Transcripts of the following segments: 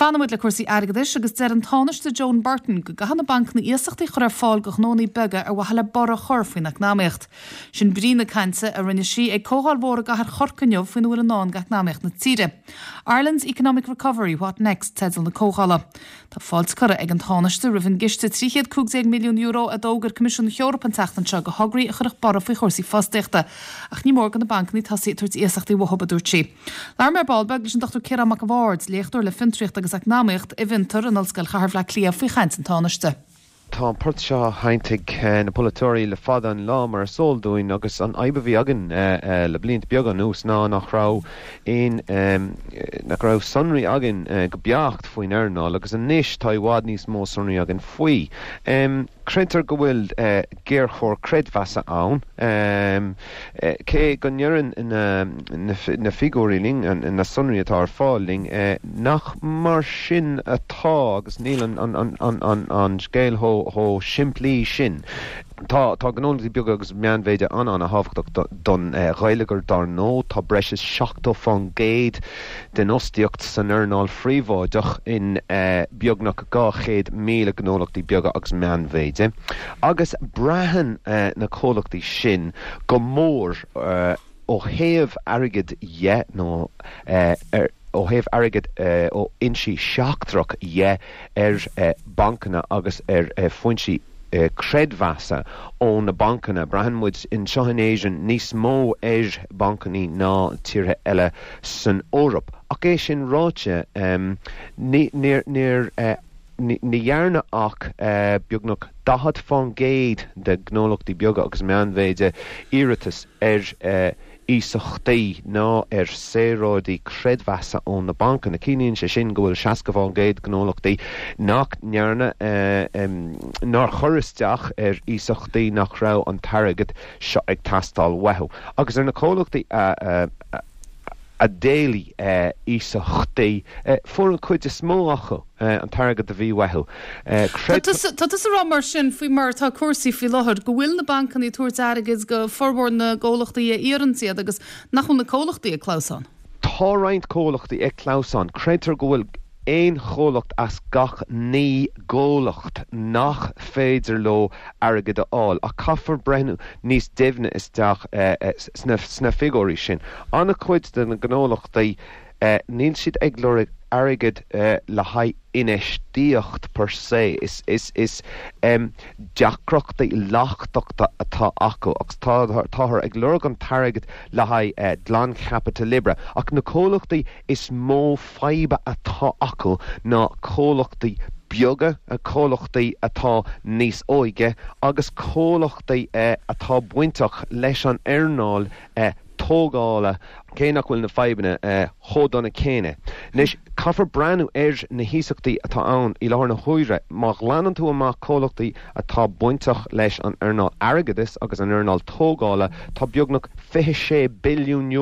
Fanann muid le cúrsaí airgeadais agus deir an Tánaiste Joan Burton go gcaithfidh na bancanna iasachtaí a chur ar fáil do ghnónnaí beaga ar mhaithe le borradh a chur faoin eacnamaíocht. Sin brí na cainte a rinne sí ag comhdháil mhór i gcathair Chorcaí inniu faoina bhfuil i ndán d'eacnamaíocht na tíre. Ireland's Economic Recovery, What Next? teideal na comhdhála. Tá fáilte curtha ag an Tánaiste roimh an gciste €315 milliún a d'fhógair Coimisiún na hEorpa an tseachtain seo do thograí a chuirfeadh borradh faoi chúrsaí fostaíochta. Ach ní mór do na bancanna tosaí ag tabhairt iasachtaí uathu, a dúirt sí. Labhair mé ar ball beag leis an Dr Ciarán Mac a' Bhaird, léachtóir le Fiontraíocht agus Eacnamaíocht i bhFiontar in Ollscoil Chathair Bhaile Átha Cliath faoi chaint an Tánaiste. Tá an port seo á sheinnt ag na polaiteoirí le fada an lá, mar is eol dúinn, agus an fhadhb a bhí againn le blianta beaga anuas ná nach raibh aon, nach raibh sonraí againn go beacht faoin earnáil, agus anois tá i bhfad níos mó sonraí againn faoi. Creidtear go bhfuil géarchor creidmheasa ann, cé go ndeireann na figiúirí linn, na sonraí atá ar fáil linn, nach mar sin atá agus níl an scéal chomh simplí sin. Tá gnólachtaí beaga agus meánmhéide an-an-thábhachtach don gheilleagar dar ndóigh. Tá breis is 70% den fhostaíocht san earnáil phríobháideach in beagnach 200,000 gnólachtaí beaga agus meánmhéide, agus braitheann na comhlachtaí sin go mór ó thaobh airgid dhe nó ó thaobh airgid ó fhoinsí seachtrach dhe ar bhancanna agus ar foinsí creidmheasa ó na bancanna. Braitheann muid anseo in Éirinn níos mó ar bhancanna ná tíortha eile san Eoraip. Ach é sin ráite, ní dhearna ach beagnach 40% de ghnólachtaí beaga agus meánmhéide iarratas ar iasachtaí ná ar saoráidí creidmheasa ó na bancanna. Ciallaíonn sé sin go bhfuil 60% gnólachtaí nach ndearna, nár chuir isteach ar iasachtaí nach raibh an t-airgead seo ag teastáil uathu. Agus ar na comhlachtaí a a d'éiligh iasachtaí, fuair an chuid is mó acu an t-airgead a bhí uathu. Tá tusa ag rá mar sin, faoi mar atá cúrsaí faoi láthair, go bhfuil na bancanna ag tabhairt airgid go formhór na gcomhlachtaí a iarrann iad agus nach bhfuil na comhlachtaí ag clamhsán? Tá roinnt comhlachtaí ag clamhsán. Creidtear go bhfuil aon chomhlacht as gach 9 gcomhlacht nach féidir leo airgead a fháil, ach caithfear breathnú níos doimhne isteach sna figiúirí sin. An-chuid de na gnólachtaí, níl siad ag lorg airgead le haghaidh infheistíocht per se, is deacrachtaí leachtachta atá acu agus táthar ag lorg an t-airgead le haghaidh glanchaipiteal oibre. Ach na comhlachtaí is mó fadhb atá acu ná comhlachtaí beaga, comhlachtaí atá níos óige agus comhlachtaí atá bainteach leis an earnáil tógála, cé nach bhfuil na fadhbanna chomh dona céanna. Anois, caithfear breathnú ar na hiasachtaí atá ann i láthair na huaire. Má ghlanann tú amach comhlachtaí atá bainteach leis an earnáil airgeadais agus an earnáil tógála, tá beagnach €26 billiún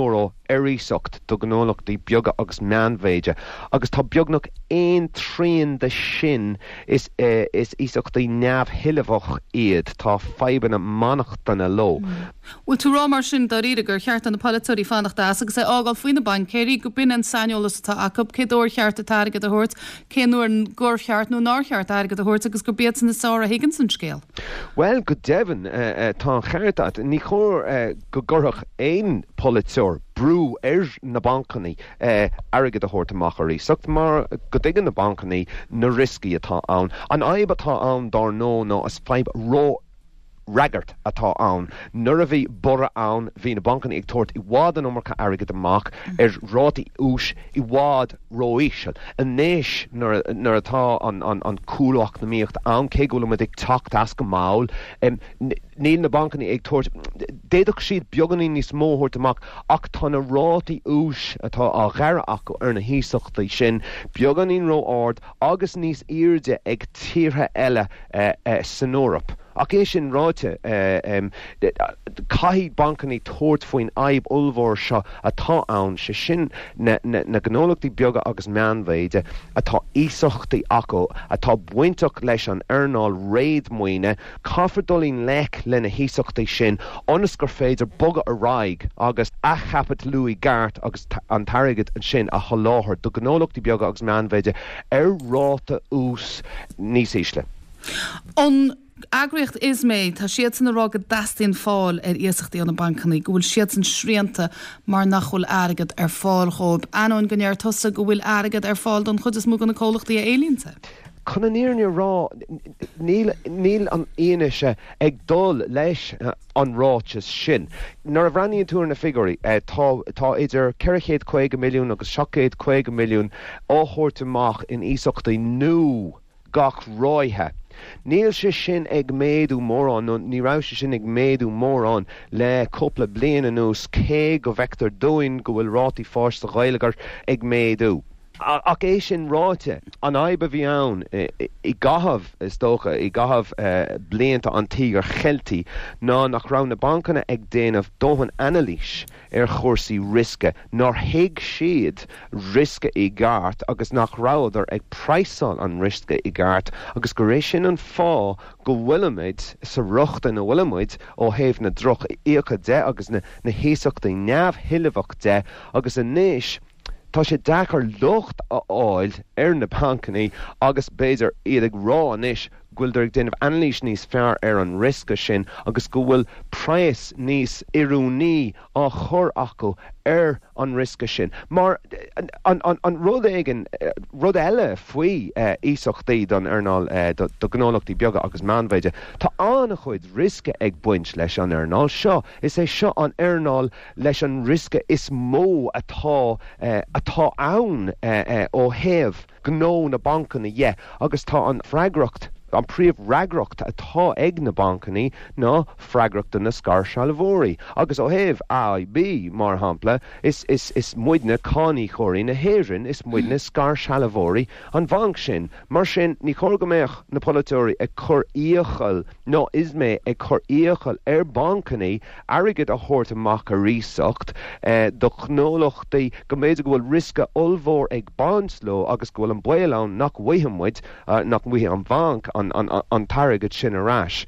ar iasacht do ghnólachtaí beaga agus meánmhéide agus tá beagnach aon trian de sin is is iasachtaí neamhthuillmheach iad, tá fadhbanna mainneachtana leo. Bhfuil tú ag rá mar sin dáiríre gur cheart do na polaiteoirí fanacht as agus é a fhágáil faoi na baincéirí, go b'in an saineolas atá acu, cé dó ar cheart an t-airgead a thabhairt, cén uair gur cheart nó nár cheart airgead a thabhairt agus gurb iadsan is fearr a thuigeanns an scéal? Bhuel, go deimhin, tá an ceart agat. Ní chóir go gcuirfeadh aon pholaiteoir brú ar na bancanna airgead a thabhairt amach ar iasacht mar go dtuigeann na bancanna na rioscaí atá ann. An fhadhb atá ann, dár ndóigh, ná is fadhb ró-fhreagairt atá ann. Nuair a bhí borradh ann, bhí na bancanna ag tabhairt i bhfad an iomarca airgid amach ar rátaí úis i bhfad ró-íseal. Anois, nuair atá an cúlú eacnamaíochta ann, cé go bhfuil muid ag teacht as go mall, Níl na bancanna ag tabhairt, d'fhéadfadh siad beagáinín níos mó a thabhairt amach ach tá na rátaí úis atá á ghearradh acu ar na hiasachtaí sin beagáinín ró-ard agus níos airde ag tíortha eile san Eoraip. Ach é sin ráite, caithfidh bancannaí tabhairt faoin fhadhb ollmhór seo atá ann, sé sin na gnólachtaí beaga agus meánmhéide atá iasachtaí acu atá bainteach leis an earnáil réadmhaoine, caithfear dul i ngleic le na hiasachtaí sin ionas gur féidir bogadh ar aghaidh agus athchaipitliú i gceart agus an t-airgead sin a sholáthar do ghnólachtaí beaga agus meánmhéide ar ráta ús níos ísle. An eagraíocht ISME, tá siadsan ag rá go dteastaíonn fáil ar iasachtaí ó na bancannaí, go bhfuil siadsan srianta mar nach bhfuil airgead ar fáil dhóibh, ainneoin go ndeir tusa go bhfuil airgead ar fáil don chuid is mó de na comhlachtaí a éilíonns é. Chun an fhírinne a rá, níl, níl an fhianaise ag dul leis an ráiteas sin. Nuair a bhreathnaíonn tú ar na figiúirí, tá, tá idir 450 milliún agus 750 milliún á thabhairt amach in iasachtaí nua gach ráithe. Níl sé sin ag méadú mórán, nó ní raibh sé sin ag méadú mórán le cúpla bliain anuas, cé go bhfeictear dúinn go bhfuil rátaí fáis sa gheilleagar ag méadú. Ach é sin ráite, an fhadhb a bhí ann i gcaitheamh, is dócha, i gcaitheamh blianta an Tíogair Cheiltigh ná nach raibh na bancanna ag déanamh dóthain anailís ar chúrsaí riosca, nár thuig siad riosca i gceart agus nach rabhadar ag praghsáil an riosca i gceart agus gur é sin an fáth go bhfuilimid sa riocht ina bhfuilimid ó thaobh na droch-fhiacha de agus na hiasachtaí neamhthuillmheach de agus anois Tá sé deacair locht a fháil ar na bancannaí agus b'fhéidir iad ag rá anois go bhfuileadar ag déanamh anailís níos fearr ar an riosca sin agus go bhfuil praghas níos oiriúnaí á chur acu ar an riosca sin. Mar an rud éigin, rud eile faoi iasachtaí don earnáil, do ghnólachtaí beaga agus meánmhéide, tá an-chuid riosca ag baint leis an earnáil seo. Is é seo an earnáil leis an riosca is mó atá atá ann ó thaobh gnó na bancanna dhe agus tá an freagracht, an príomhfhreagracht atá ag na bancanna ná freagracht do na scairshealbhóirí agus ó thaobh AIB mar shampla is is is muidne cáiníocóirí na hÉireann, is muidne scairshealbhóirí an bhainc sin. Mar sin ní chóir go mbeadh na polaiteoirí ag cur iachall ná ISME ag cur iachall ar bhancanna airgead a thabhairt amach ar iasacht do ghnólachtaí go mb'fhéidir go bhfuil riosca ollmhór ag baint leo agus go bhfuil an baol ann nach bhfaighidh muid, nach bhfaighidh an bhanc an t-airgead sin ar ais.